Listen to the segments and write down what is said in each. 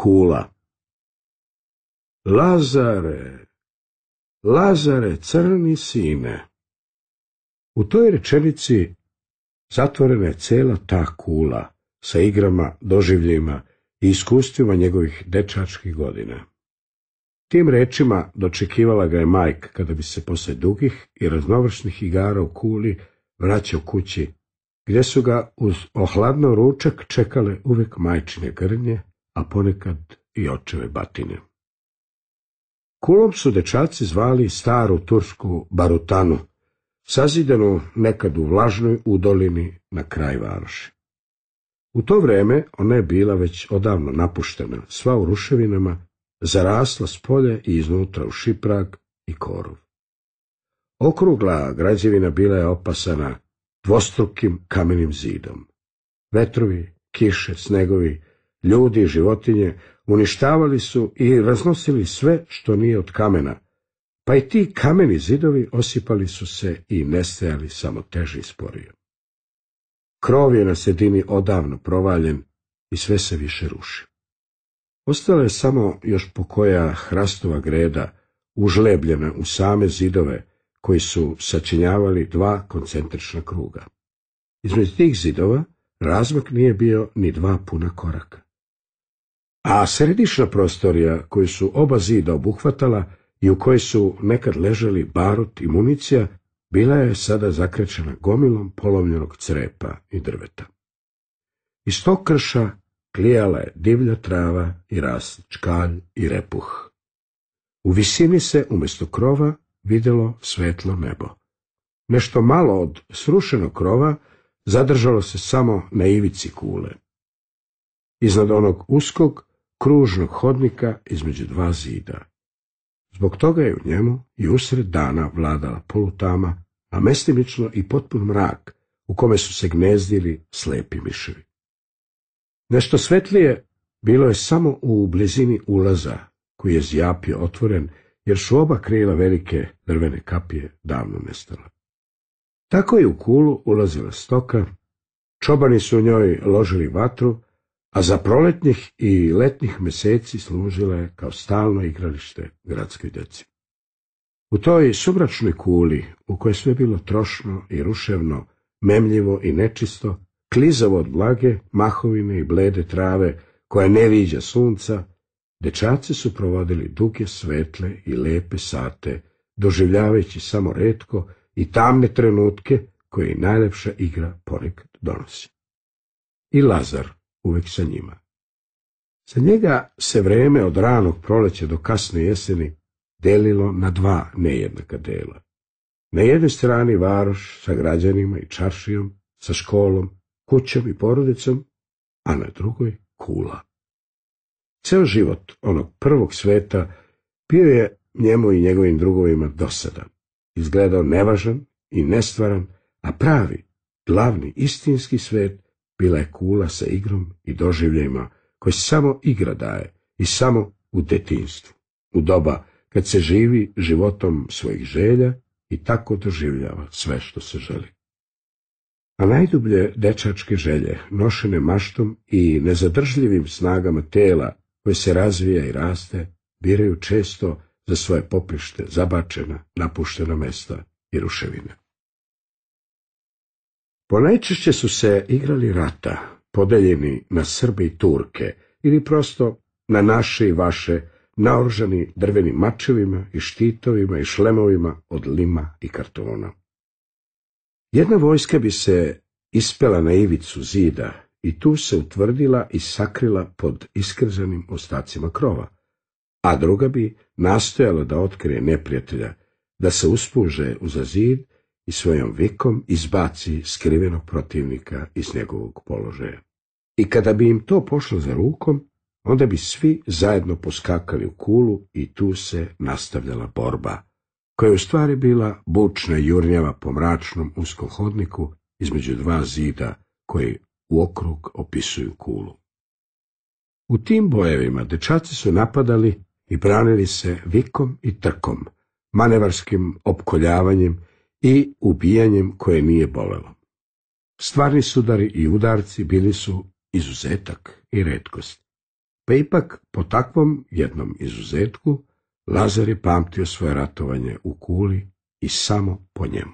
Kula. Lazare, Lazare, crni sine. U toj rečenici zatvorena je cela ta kula sa igrama, doživljima i iskustvima njegovih dečačkih godina. Tim rečima dočekivala ga je majka kada bi se posle dugih i raznovrsnih igara u kuli vraćao kući, gdje su ga uz ohladno ručak čekale uvek majčine grnje, a ponekad i očeve batine. Kulom su dečaci zvali staru tursku barutanu, sazidanu nekad u vlažnoj udolini na kraj varoši. U to vreme ona je bila već odavno napuštena, sva u ruševinama, zarasla spolje i iznutra u šiprag i korov. Okrugla građevina bila je opasana dvostrukim kamenim zidom. Vetrovi, kiše, snegovi, ljudi i životinje uništavali su i raznosili sve što nije od kamena, pa i ti kameni zidovi osipali su se i nestajali samo teže i sporije. Krov je na sredini odavno provaljen i sve se više ruši. Ostala je samo još pokoja hrastova greda, užlebljena u same zidove, koji su sačinjavali dva koncentrična kruga. Između tih zidova razmak nije bio ni 2 puna koraka. A središnja prostorija koju su oba zida obuhvatala i u kojoj su nekad ležali barut i municija, bila je sada zakrečena gomilom polomljenog crepa i drveta. Iz tog krša klijala je divlja trava i rast čkalj i repuh. U visini se umjesto krova vidjelo svetlo nebo. Nešto malo od srušenog krova zadržalo se samo na ivici kule. Iznad onog uskog, kružnog hodnika između 2 zida. Zbog toga je u njemu i usred dana vladala polutama, a mestimično i potpun mrak, u kome su se gnezdili slepi miševi. Nešto svetlije bilo je samo u blizini ulaza, koji je zjapio otvoren, jer su oba krila velike drvene kapije davno nestala. Tako je u kulu ulazila stoka, čobani su u njoj ložili vatru, a za proletnjih i letnjih meseci služila je kao stalno igralište gradskoj djeci. U toj sumračnoj kuli, u kojoj sve bilo trošno i ruševno, memljivo i nečisto, klizavo od blage, mahovine i blede trave, koja ne viđa sunca, dečaci su provodili duge, svetle i lepe sate, doživljavajući samo retko i tamne trenutke koje i najlepša igra ponekad donosi. I Lazar uvek sa njima. Za njega se vreme od ranog proleća do kasne jeseni delilo na 2 nejednaka dela. Na jednoj strani varoš sa građanima i čaršijom, sa školom, kućom i porodicom, a na drugoj kula. Ceo život onog prvog sveta bio je njemu i njegovim drugovima dosadan, izgledao nevažan i nestvaran, a pravi, glavni, istinski svet bila je kula sa igrom i doživljajima koji samo igra daje i samo u detinjstvu, u doba kad se živi životom svojih želja i tako doživljava sve što se želi. A najdublje dečačke želje, nošene maštom i nezadržljivim snagama tela koje se razvija i raste, biraju često za svoje poprište zabačena, napuštena mesta i ruševine. Ponajčešće su se igrali rata, podeljeni na Srbe i Turke, ili prosto na naše i vaše, naoružani drvenim mačevima i štitovima i šlemovima od lima i kartona. Jedna vojska bi se ispela na ivicu zida i tu se utvrdila i sakrila pod iskrzanim ostacima krova, a druga bi nastojala da otkrije neprijatelja, da se uspuže uza zid i svojom vikom izbaci skrivenog protivnika iz njegovog položaja. I kada bi im to pošlo za rukom, onda bi svi zajedno poskakali u kulu i tu se nastavljala borba, koja je u stvari bila bučna jurnjava po mračnom uskom hodniku između 2 zida koji u okrug opisuju kulu. U tim bojevima dečaci su napadali i branili se vikom i trkom, manevarskim opkoljavanjem i ubijanjem koje nije bolelo. Stvarni sudari i udarci bili su izuzetak i retkost. Pa ipak, po takvom jednom izuzetku, Lazar je pamtio svoje ratovanje u Kuli i samo po njemu.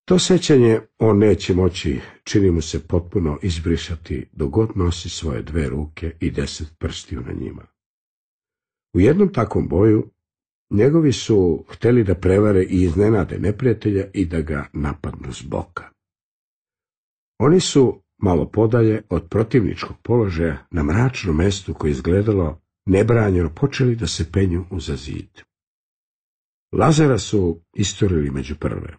To sjećanje on neće moći, čini mu se, potpuno izbrisati dok god nosi svoje 2 ruke i 10 prstiju na njima. U jednom takvom boju njegovi su htjeli da prevare i iznenade neprijatelja i da ga napadnu s boka. Oni su malo podalje od protivničkog položaja na mračnom mjestu koje izgledalo nebranjeno počeli da se penju uza zid. Lazara su isturili među prve.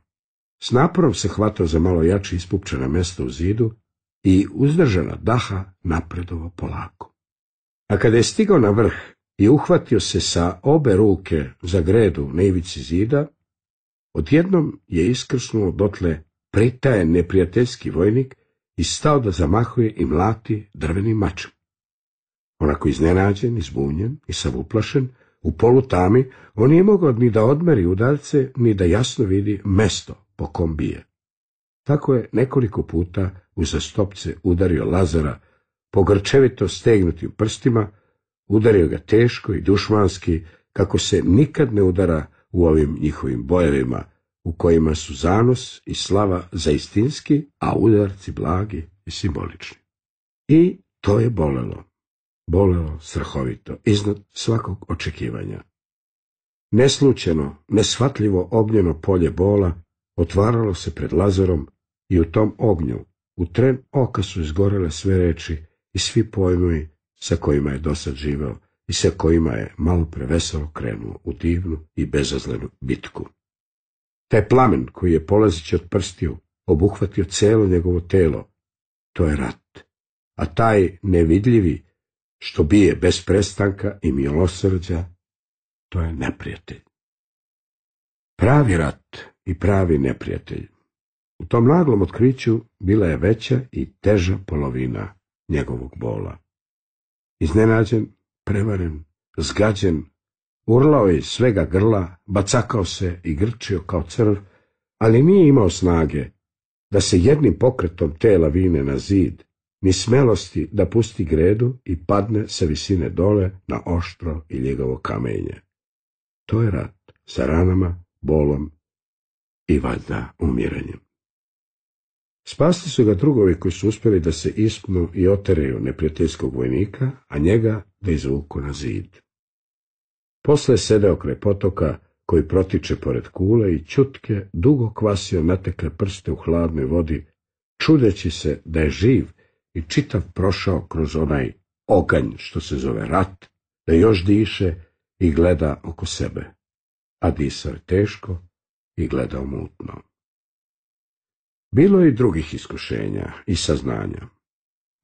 S naporom se hvatao za malo jače ispupčena mjesta u zidu i uzdržana daha napredovo polako. A kada je stigao na vrh i uhvatio se sa obe ruke za gredu na ivici zida, odjednom je iskrsnuo dotle pritajen neprijateljski vojnik i stao da zamahuje i mlati drvenim mačem. Onako iznenađen, izbunjen i sav uplašen, u polutami, on nije mogao ni da odmeri udarce, ni da jasno vidi mesto po kom bije. Tako je nekoliko puta uzastopce udario Lazara po grčevito stegnutim prstima, udario ga teško i dušmanski, kako se nikad ne udara u ovim njihovim bojevima, u kojima su zanos i slava zaistinski, a udarci blagi i simbolični. I to je bolelo. Bolelo strahovito, iznad svakog očekivanja. Neslučajno, neshvatljivo ognjeno polje bola otvaralo se pred Lazarom i u tom ognju, u tren oka su izgorele sve reči i svi pojmovi sa kojima je dosad živeo i sa kojima je malo preveselo krenuo u divnu i bezazlenu bitku. Taj plamen koji je polazeći od prstiju obuhvatio cijelo njegovo telo, to je rat, a taj nevidljivi što bije bez prestanka i milosrđa, to je neprijatelj. Pravi rat i pravi neprijatelj. U tom naglom otkriću bila je veća i teža polovina njegovog bola. Iznenađen, prevaren, zgađen, urlao je iz svega grla, bacakao se i grčio kao crv, ali nije imao snage da se jednim pokretom tela vine na zid, ni smelosti da pusti gredu i padne sa visine dole na oštro i ljegovo kamenje. To je rat sa ranama, bolom i valjda umiranjem. Spasli su ga drugovi koji su uspjeli da se ispnu i oteraju neprijateljskog vojnika, a njega da izvuku na zid. Posle je sedeo kraj potoka koji protiče pored Kule i ćutke dugo kvasio natekle prste u hladnoj vodi, čudeći se da je živ i čitav prošao kroz onaj oganj što se zove rat, da još diše i gleda oko sebe, a disao je teško i gledao mutno. Bilo je i drugih iskušenja i saznanja.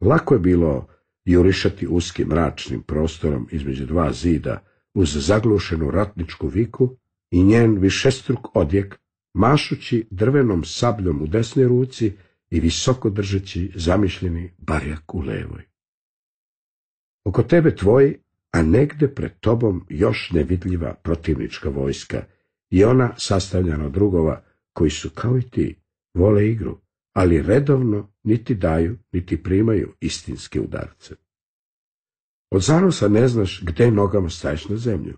Lako je bilo jurišati uskim mračnim prostorom između 2 zida uz zaglušenu ratničku viku i njen višestruk odjek, mašući drvenom sabljom u desnoj ruci i visoko držeći zamišljeni barjak u levoj. Oko tebe tvoj, a negde pred tobom još nevidljiva protivnička vojska i ona sastavljena od drugova koji su kao i ti, vole igru, ali redovno niti daju, niti primaju istinske udarce. Od zanosa ne znaš gde nogama staješ na zemlju.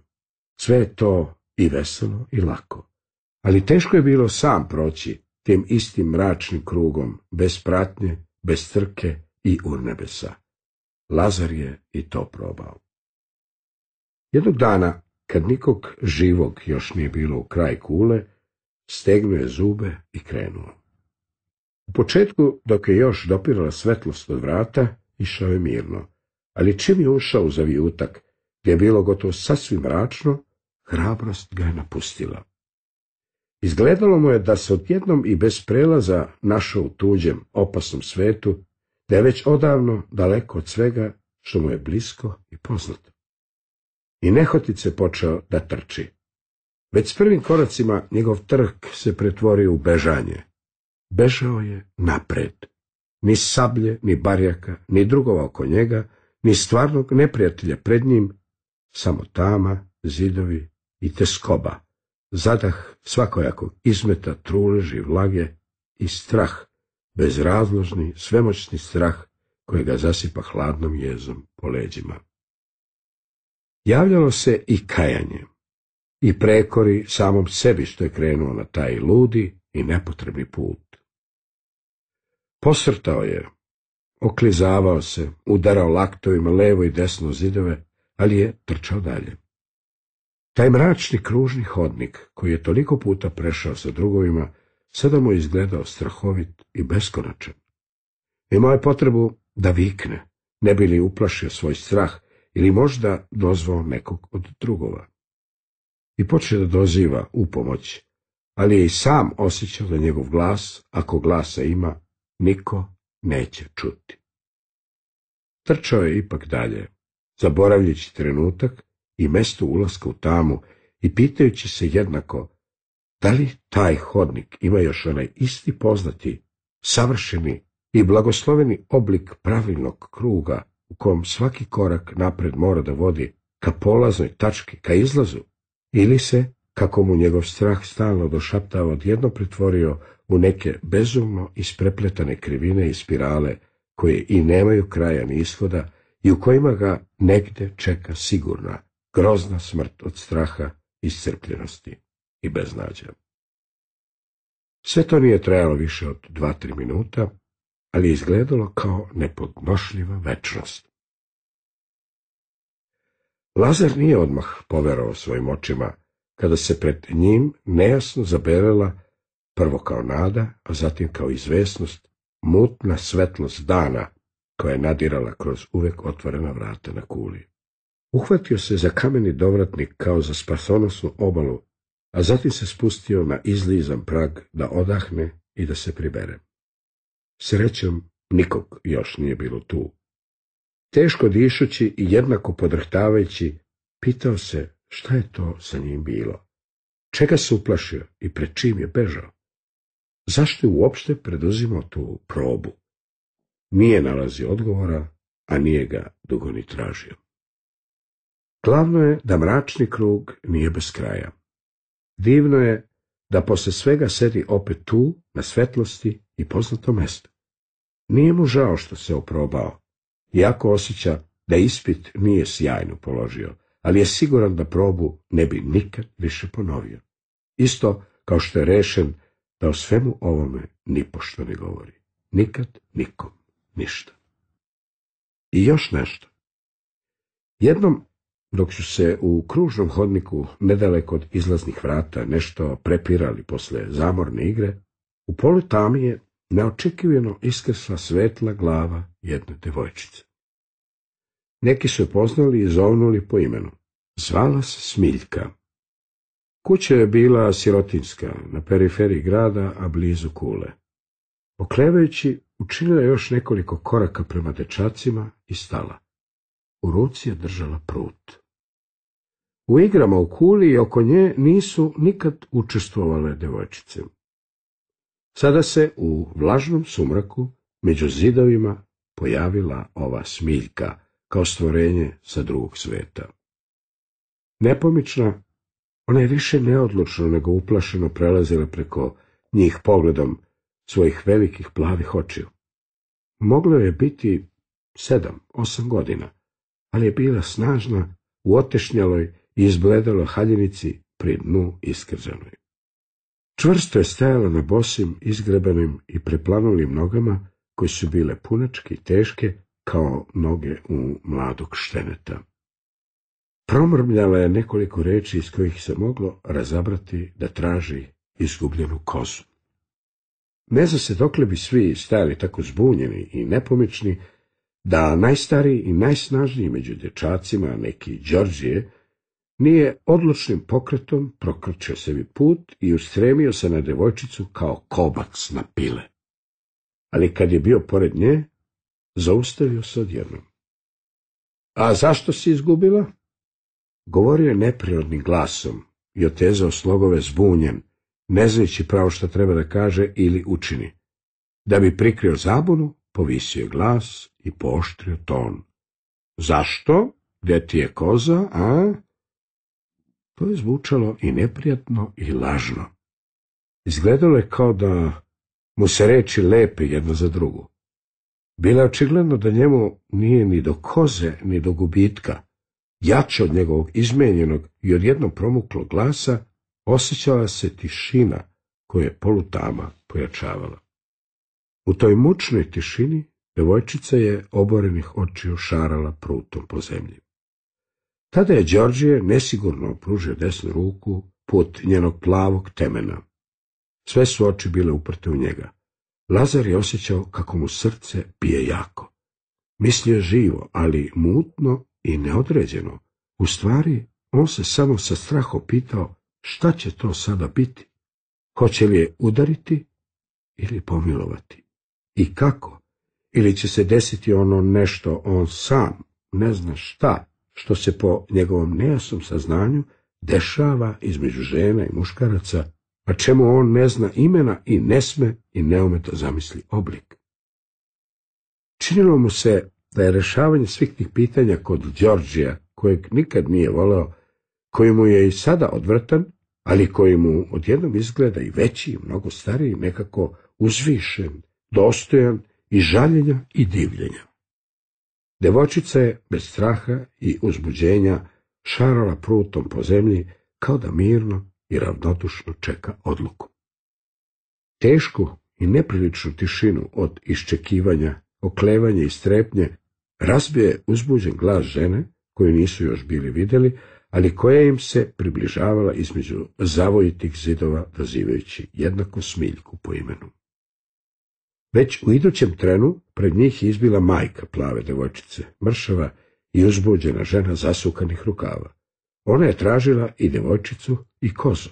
Sve je to i veselo i lako, ali teško je bilo sam proći tim istim mračnim krugom, bez pratnje, bez trke i urnebesa. Lazar je i to probao. Jednog dana, kad nikog živog još nije bilo u kraj Kule, stegnuo je zube i krenuo. U početku, dok je još dopirala svetlost od vrata, išao je mirno, ali čim je ušao u zavijutak, gdje je bilo gotovo sasvim mračno, hrabrost ga je napustila. Izgledalo mu je da se odjednom i bez prelaza našao u tuđem, opasnom svetu, da je već odavno daleko od svega što mu je blisko i poznato. I nehotice počeo da trči. Već s prvim koracima njegov trk se pretvorio u bežanje. Bežao je napred. Ni sablje, ni barjaka, ni drugova oko njega, ni stvarnog neprijatelja pred njim, samo tama, zidovi i teskoba, zadah svakojakog izmeta truleži vlage i strah, bezrazložni, svemoćni strah koji ga zasipa hladnom jezom po leđima. Javljalo se i kajanje, i prekori samom sebi što je krenuo na taj ludi i nepotrebni put. Posrtao je, oklizavao se, udarao laktovima levo i desno zidove, ali je trčao dalje. Taj mračni kružni hodnik, koji je toliko puta prešao sa drugovima, sada mu je izgledao strahovit i beskonačan. Imao je potrebu da vikne, ne bi li uplašio svoj strah ili možda dozvao nekog od drugova. I počeo da doziva u pomoć, ali je i sam osjećao da njegov glas, ako glasa ima, niko neće čuti. Trčao je ipak dalje, zaboravljajući trenutak i mesto ulaska u tamu i pitajući se jednako da li taj hodnik ima još onaj isti poznati, savršeni i blagosloveni oblik pravilnog kruga u kom svaki korak napred mora da vodi ka polaznoj tački, ka izlazu, ili se, kako mu njegov strah stalno došaptava, odjedno pretvorio u neke bezumno isprepletane krivine i spirale koje i nemaju kraja ni ishoda i u kojima ga negde čeka sigurna, grozna smrt od straha, iscrpljenosti i beznađa. Sve to nije trajalo više od 2-3 minuta, ali je izgledalo kao nepodnošljiva večnost. Lazar nije odmah poverovao svojim očima, kada se pred njim nejasno zabelela, prvo kao nada, a zatim kao izvesnost, mutna svetlost dana koja je nadirala kroz uvek otvorena vrata na kuli. Uhvatio se za kameni dovratnik kao za spasonosnu obalu, a zatim se spustio na izlizan prag da odahne i da se pribere. Srećom, nikog još nije bilo tu. Teško dišući i jednako podrhtavajući, pitao se šta je to sa njim bilo, čega se uplašio i pred čim je bežao. Zašto je uopšte preduzimao tu probu? Nije nalazio odgovora, a nije ga dugo ni tražio. Glavno je da mračni krug nije bez kraja. Divno je da posle svega sedi opet tu, na svetlosti i poznatom mestu. Nije mu žao što se oprobao, iako osjeća da ispit nije sjajno položio, ali je siguran da probu ne bi nikad više ponovio. Isto kao što je rešen da o svemu ovome nipošto ne govori. Nikad nikom ništa. I još nešto. Jednom, dok su se u kružnom hodniku nedaleko od izlaznih vrata nešto prepirali posle zamorne igre, u polu tami je neočekivano iskrsla svetla glava jedne devojčice. Neki su je poznali i zovnuli po imenu. Zvala se Smiljka. Kuća je bila sirotinska, na periferiji grada, a blizu kule. Oklevajući, učinila je još nekoliko koraka prema dečacima i stala. U ruci je držala prut. U igrama u kuli i oko nje nisu nikad učestvovale devojčice. Sada se u vlažnom sumraku među zidovima pojavila ova Smiljka kao stvorenje sa drugog sveta. Nepomična, ona je više neodlučno nego uplašeno prelazila preko njih pogledom svojih velikih plavih očiju. Moglo je biti 7-8 godina, ali je bila snažna u otešnjaloj i izbledaloj haljinici pri dnu iskrzanoj. Čvrsto je stajala na bosim, izgrebanim i preplanulim nogama, koje su bile punačke i teške kao noge u mladog šteneta. Promrmljala je nekoliko reči iz kojih se moglo razabrati da traži izgubljenu kozu. Ne zna se dokle bi svi stajali tako zbunjeni i nepomični, da najstariji i najsnažniji među dječacima, neki Đorđije, nije odlučnim pokretom prokrčio sebi put i ustremio se na devojčicu kao kobac na pile. Ali kad je bio pored nje, zaustavio se odjednom. A zašto si izgubila? Govorio je neprirodnim glasom i otezao slogove zbunjen, ne znajući pravo šta treba da kaže ili učini. Da bi prikrio zabunu, povisio je glas i pooštrio ton. Zašto? Gde ti je koza, a? To je zvučalo i neprijatno i lažno. Izgledalo je kao da mu se reči lepe jedna za drugu. Bilo je očigledno da njemu nije ni do koze, ni do gubitka, jače od njegovog izmenjenog i odjednom promuklog glasa, osjećala se tišina koja je polutama pojačavala. U toj mučnoj tišini devojčica je oborenih očiju šarala prutom po zemlji. Tada je Đorđe nesigurno pružio desnu ruku put njenog plavog temena. Sve su oči bile uprte u njega. Lazar je osjećao kako mu srce bije jako. Mislio je živo, ali mutno i neodređeno. U stvari, on se samo sa strahom pitao šta će to sada biti. Hoće li je udariti ili pomilovati? I kako? Ili će se desiti ono nešto on sam ne zna šta, što se po njegovom nejasnom saznanju dešava između žena i muškaraca, a čemu on ne zna imena i ne sme i ne ume da zamisli oblik. Činilo mu se da je rešavanje svih tih pitanja kod Đorđija, kojeg nikad nije voleo, koji mu je i sada odvratan, ali koji mu odjednom izgleda i veći i mnogo stariji, nekako uzvišen, dostojan i žaljenja i divljenja. Devojčica je bez straha i uzbuđenja šarala prutom po zemlji kao da mirno i ravnodušno čeka odluku. Tešku i nepriličnu tišinu od iščekivanja, oklevanja i strepnje razbio je uzbuđen glas žene, koju nisu još bili vidjeli, ali koja im se približavala između zavojitih zidova, dozivajući jednako Smiljku po imenu. Već u idućem trenu pred njih je izbila majka plave devojčice, mršava i uzbuđena žena zasukanih rukava. Ona je tražila i devojčicu i kozu.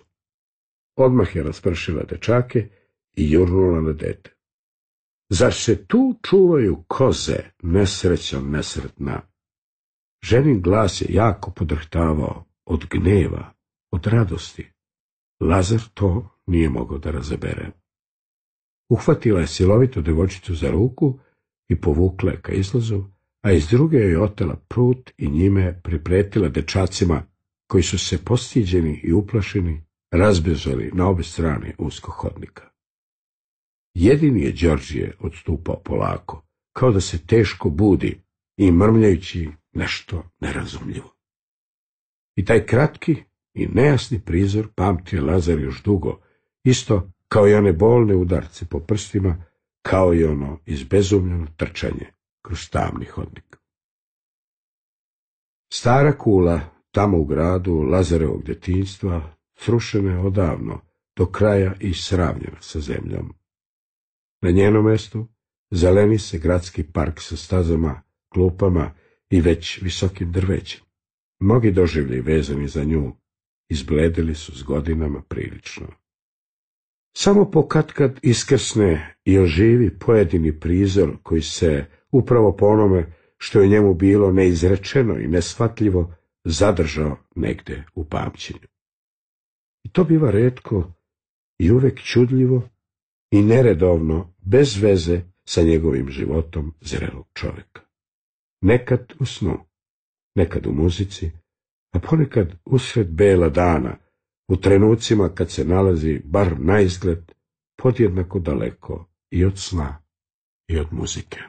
Odmah je raspršila dečake i jurnula na dete. Zar se tu čuvaju koze, nesrećo nesretna? Ženin glas je jako podrhtavao od gneva, od radosti. Lazar to nije mogao da razabere. Uhvatila je silovito devojčicu za ruku i povukla je ka izlazu, a iz druge joj otela prut i njime pripretila dečacima koji su se postiđeni i uplašeni razbježali na obe strane uskog hodnika. Jedini je Đorđije odstupao polako, kao da se teško budi i mrmljajući nešto nerazumljivo. I taj kratki i nejasni prizor pamtio Lazar još dugo, isto kao i one bolne udarce po prstima, kao i ono izbezumljeno trčanje kroz tamni hodnik. Stara kula, tamo u gradu Lazarevog djetinjstva, srušena je odavno, do kraja i sravnjena sa zemljom. Na njenom mjestu zeleni se gradski park sa stazama, klupama i već visokim drvećem. Mnogi doživlji vezani za nju izbledili su s godinama prilično. Samo pokatkad iskrsne i oživi pojedini prizor koji se upravo po onome što je njemu bilo neizrečeno i neshvatljivo zadržao negde u pamćenju. I to biva retko i uvek čudljivo i neredovno, bez veze sa njegovim životom zrelog čovjeka. Nekad u snu, nekad u muzici, a ponekad usred bela dana, u trenucima kad se nalazi bar naizgled podjednako daleko i od sna i od muzike.